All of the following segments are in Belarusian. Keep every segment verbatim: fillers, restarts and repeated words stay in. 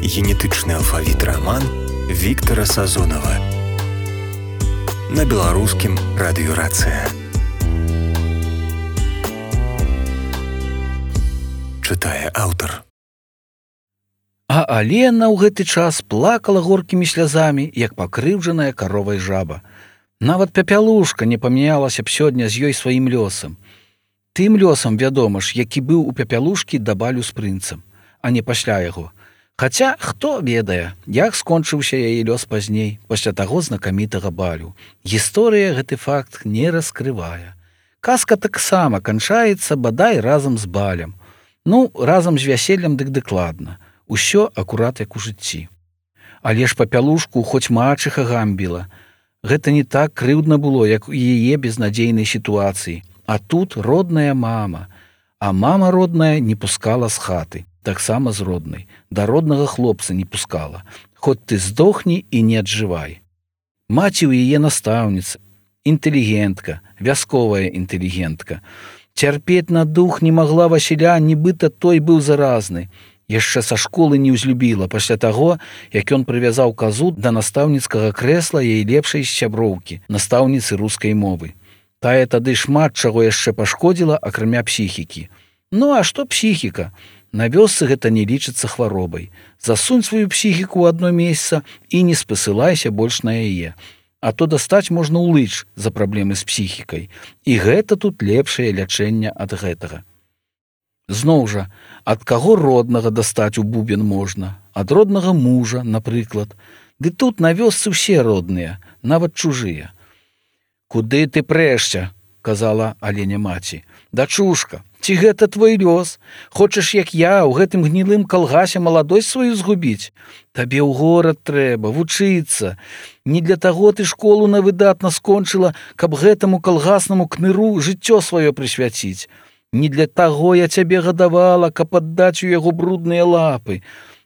Генетычны алфавіт раман Віктара Сазонава на беларускім радыёрацыя. Чытае аўтар. А Алена ў гэты час плакала горкімі слязамі, як пакрыўджаная каровай жаба. Нават пяпялушка не памянялася б сёння з ёй сваім лёсам. Тым лёсам, вядома ж, які быў у пяпялушкі да балю з прынцам, а не пасля яго. Хаця, хто ведае, як скончыўся яе лёс пазней, пасля таго знакамітага балю. Гісторыя гэты факт не раскрывае. Казка таксама канчаецца бадай разам з балем. Ну, разам з вяселлем дык дакладна. Усё акурат як у жыцці. Але ж папялушку хоць мачыха гамбіла. Гэта не так крыўдна было, як у яе безнадзейнай сітуацыі. А тут родная мама. А мама родная не пускала з хаты. Таксама з роднай. Да роднага хлопца не пускала. Хоць ты здохні і не аджывай. Маці ў яе настаўніца. Інтэлігентка, вясковая інтэлігентка. Цярпець на дух не магла Васіля, нібыта той быў заразны. Яшчэ са школы не ўзлюбіла пасля таго, як ён прывязаў казу да настаўніцкага крэсла яе лепшай сяброўкі, настаўніцы рускай мовы. Тая тады шмат чаго яшчэ пашкодзіла, акрамя псіхікі. Ну, а што псіхіка? На вёсцы гэта не лічыцца хваробай. Засунь сваю псіхіку ў адно месца і не спасылайся больш на яе. А то дастаць можна ўлыч за праблемы з псіхікай. І гэта тут лепшае лячэнне ад гэтага. Зноў жа, ад каго роднага дастаць у бубен можна? Ад роднага мужа, напрыклад. Ды тут на вёсцы ўсе родныя, нават чужыя. «Куды ты прэшся?» – казала Алене маці. «Дачушка, ці гэта твой лёс? Хочаш, як я, у гэтым гнілым калгасе маладосць сваю згубіць? Табе ў горад трэба, вучыцца. Не для таго ты школу на выдатна скончыла, каб гэтаму калгаснаму кныру жыццё сваё прысвяціць. Не для таго я цябе гадавала, каб аддаць у яго брудныя лапы,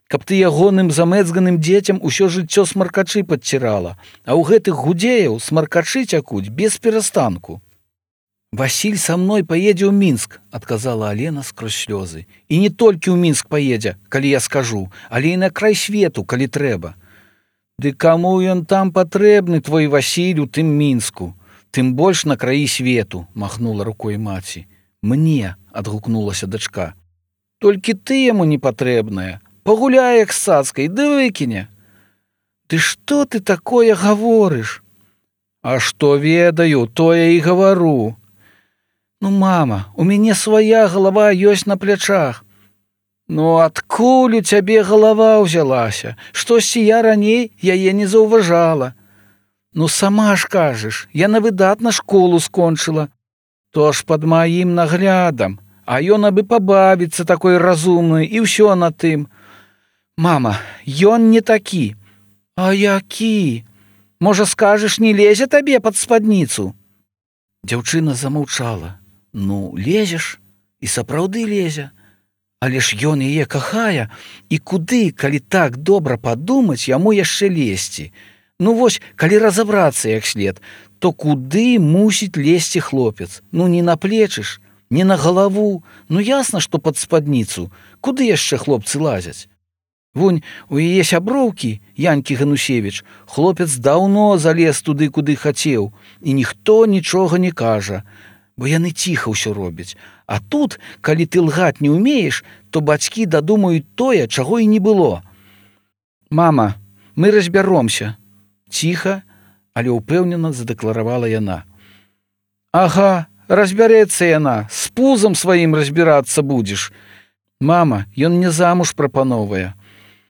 каб ты ягоным замэцганым дзецям усё жыццё смаркачы падцірала, а ў гэтых гудзеяў смаркачы цякуць без перастанку». «Васіль са мной паедзе ў Мінск», – адказала Алена скрозь слёзы. «І не толькі ў Мінск паедзе, калі я скажу, але і на край свету, калі трэба». «Ды каму ён там патрэбны, твой Васіль, у тым Мінску? Тым больш на краі свету», – махнула рукой маці. «Мне», – адгукнулася дачка. «Толькі ты яму не патрэбная. Пагуляй як з цацкай, ды выкіне». «Ты што ты такое гаворыш?» «А што ведаю, тое і гавару». «Ну, мама, у мяне свая галава ёсць на плячах». «Ну, адкуль у цябе галава ўзялася? Штосьці я раней яе не заўважала». «Ну, сама ж кажаш, яна выдатна школу скончыла». «То ж пад маім наглядам, а ён абы пабавіцца такой разумнай, і ўсё на тым». «Мама, ён не такі». «А які? Можа, скажаш, не лезе табе пад спадніцу?» Дзяўчына замаўчала. «Ну, лезеш, і сапраўды лезе. Але ж ён яе кахае, і куды, калі так добра падумаць, яму яшчэ лезці? Ну вось, калі разабрацца як след, то куды мусіць лезці хлопец? Ну не на плечы ж, не на галаву. Ну ясна, што пад спадніцу. Куды яшчэ хлопцы лазяць? Вунь, у яе сяброўкі, Янькі Ганусевіч, хлопец даўно залез туды, куды хацеў, і ніхто нічога не кажа, бо яны ціха ўсё робяць. А тут, калі ты лгаць не ўмееш, то бацькі дадумаюць тое, чаго і не было». «Мама, мы разбяромся», – ціха, але ўпэўнена задэкларавала яна. «Ага, разбярэцца яна, з пузам сваім разбірацца будзеш. Мама, ён мне замуж прапановвае.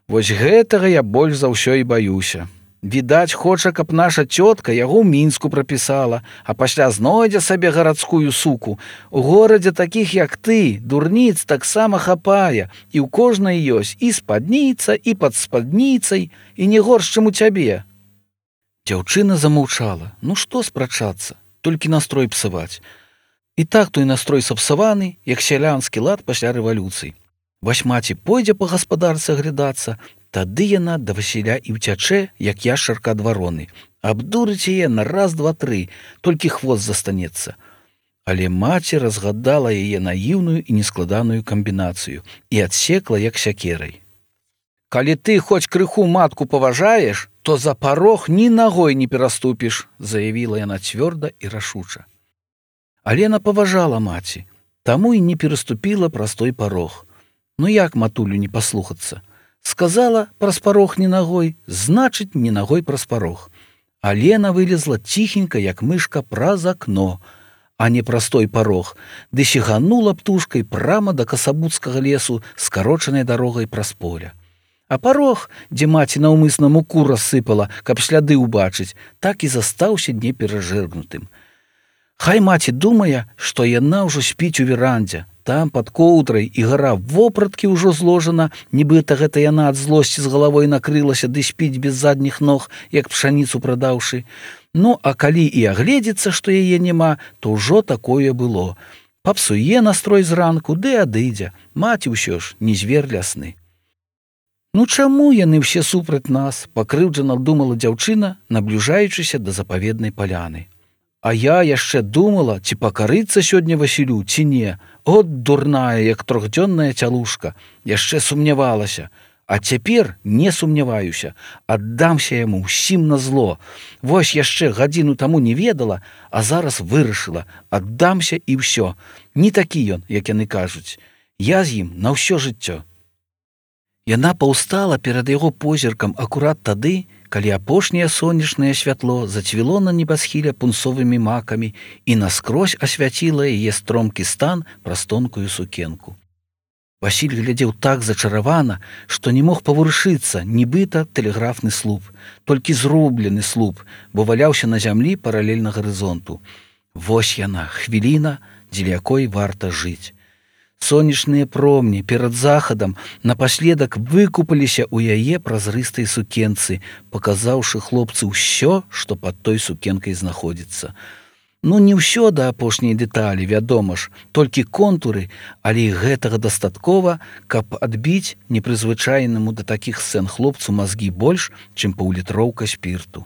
Вось гэтага я больш за ўсё і баюся. Відаць, хоча, каб наша цётка яго ў Мінску прапісала, а пасля знойдзе сабе гарадскую суку. У горадзе такіх, як ты, дурніц таксама хапае, і ў кожнай ёсць і спадніца, і пад спадніцай, і не горш, чым у цябе». Дзяўчына замаўчала. Ну што спрачацца, толькі настрой псаваць. І так той настрой сапсаваны, як сялянскі лад пасля рэвалюцыі. Вось маці пойдзе па гаспадарцы аглядацца, тады яна да Васіля і ўцячэ, як яшчарка ад вароны. Абдурыць яе на раз, два, тры, толькі хвост застанецца. Але маці разгадала яе наіўную і нескладаную камбінацыю і адсекла як сякерай. Калі ты хоць крыху матку паважаеш, то за парог ні нагой не пераступіш, заявіла яна цвёрда і рашуча. Алена паважала маці, таму і не пераступіла праз той парог. Ну як матулю не паслухацца? Сказала праз парог ні нагой, значыць, ні нагой праз парог. Алена вылезла ціхенька, як мышка, праз акно, а не праз той парог, ды сіганула птушкай прама да касабуцкага лесу скарочанай дарогай праз поля. А парог, дзе маці наўмысна муку рассыпала, каб сляды ўбачыць, так і застаўся неперажэргнутым. Хай маці думае, што яна ўжо спіць у верандзе, там пад коўдрай і гара вопраткі ўжо зложана, нібыта гэта яна ад злосці з галавой накрылася ды спіць без задніх ног, як пшаніцу прадаўшы. Ну, а калі і агледзецца, што яе няма, то ўжо такое было. Папсуе настрой зранку, ды адыдзе. Маці ўсё ж не звер лясны. Ну чаму яны ўсе супраць нас, пакрыўджана думала дзяўчына, набліжаючыся да запаведнай паляны. А я яшчэ думала, ці пакарыцца сёння Васілю, ці не. От дурная, як трохдзённая цялушка. Яшчэ сумнявалася. А цяпер не сумняваюся. Аддамся яму ўсім на зло. Вось яшчэ гадзіну таму не ведала, а зараз вырашыла. Аддамся і ўсё. Не такі ён, як яны кажуць. Я з ім на ўсё жыццё. Яна паўстала перад яго позіркам акурат тады, калі апошняе сонечнае святло зацвіло на небасхіле пунцовымі макамі і наскрозь асвяціла яе стромкі стан праз тонкую сукенку. Васіль глядзеў так зачаравана, што не мог паварушыцца, нібыта тэлеграфны слуп, толькі зроблены слуп, бо валяўся на зямлі паралельна гарызонту. Вось яна, хвіліна, дзеля якой варта жыць. Сонечныя промні перад захадам напаследак выкупаліся ў яе празрыстай сукенцы, паказаўшы хлопцу ўсё, што пад той сукенкай знаходзіцца. Ну, не ўсё да апошняй дэталі, вядома ж, толькі контуры, але і гэтага дастаткова, каб адбіць непрызвычайнаму да такіх сцэн хлопцу мазгі больш, чым паўлітроўка спірту.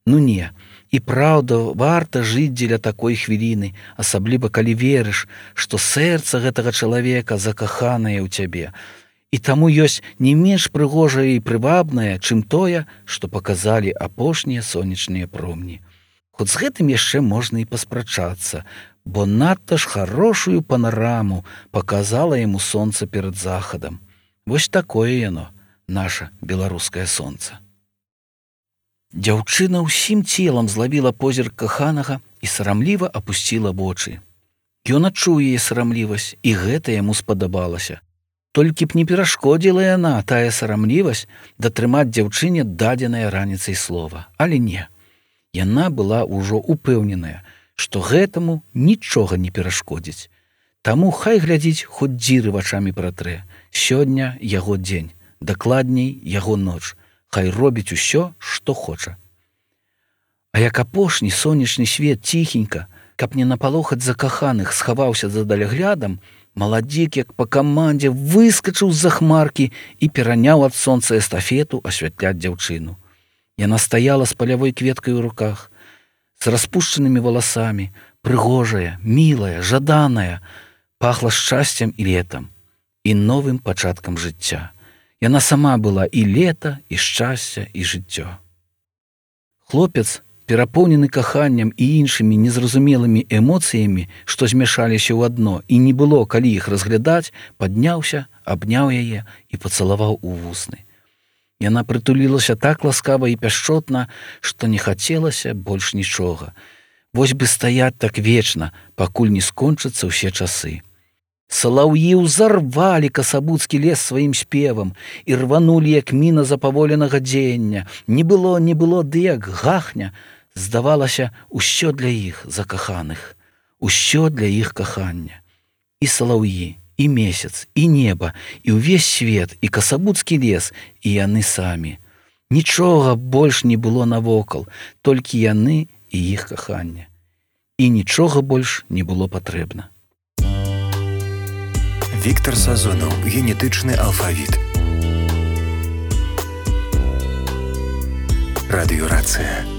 Ну не, і праўда, варта жыць дзеля такой хвіліны, асабліва калі верыш, што сэрца гэтага чалавека закаханае ў цябе. І таму ёсць не менш прыгожае і прывабнае, чым тое, што паказалі апошнія сонечныя промні. Хоць з гэтым яшчэ можна і паспрачацца, бо надта ж харошую панараму паказала яму сонца перад захадам. Вось такое яно, наша беларускае сонца. Дзяўчына ўсім целам злавіла позірк каханага і сарамліва апусціла вочы. Ён адчуў яе сарамлівасць, і гэта яму спадабалася. Толькі б не перашкодзіла яна, тая сарамлівасць, датрымаць дзяўчыне дадзенае раніцай слова. Але не. Яна была ўжо упэўненая, што гэтаму нічога не перашкодзіць. Таму хай глядзіць, хоць дзіры вачамі пратрэ. Сёння яго дзень, дакладней яго ноч. Хай робіць усё, што хоча. А як апошні сонечны свет ціхенька, каб не напалохаць закаханых, схаваўся за даляглядам, маладзік, як па камандзе, выскачыў з-за хмаркі і пераняў ад сонца эстафету асвятляць дзяўчыну. Яна стаяла з палявой кветкай у руках, з распушчанымі валасамі, прыгожая, мілая, жаданая, пахла шчасцем і летам, і новым пачаткам жыцця. Яна сама была і лета, і шчасце, і жыццё. Хлопец, перапоўнены каханнем і іншымі незразумелымі эмоцыямі, што змяшаліся ў адно, і не было, калі іх разглядаць, падняўся, абняў яе і пацалаваў у вусны. Яна прытулілася так ласкава і пяшчотна, што не хацелася больш нічога. Вось бы стаяць так вечна, пакуль не скончацца ўсе часы. Салаўі ўзарвалі касабуцкі лес сваім спевам і рванулі, як міна запаволенага дзеяння. Не было, не было, ды як гахня. Здавалася, усё для іх закаханых, усё для іх кахання. І салаўі, і месяц, і неба, і ўвесь свет, і касабуцкі лес, і яны самі. Нічога больш не было навокал, толькі яны і іх каханне. І нічога больш не было патрэбна. Віктор Сазонаў, генетычны алфавіт. Радыёрацыя.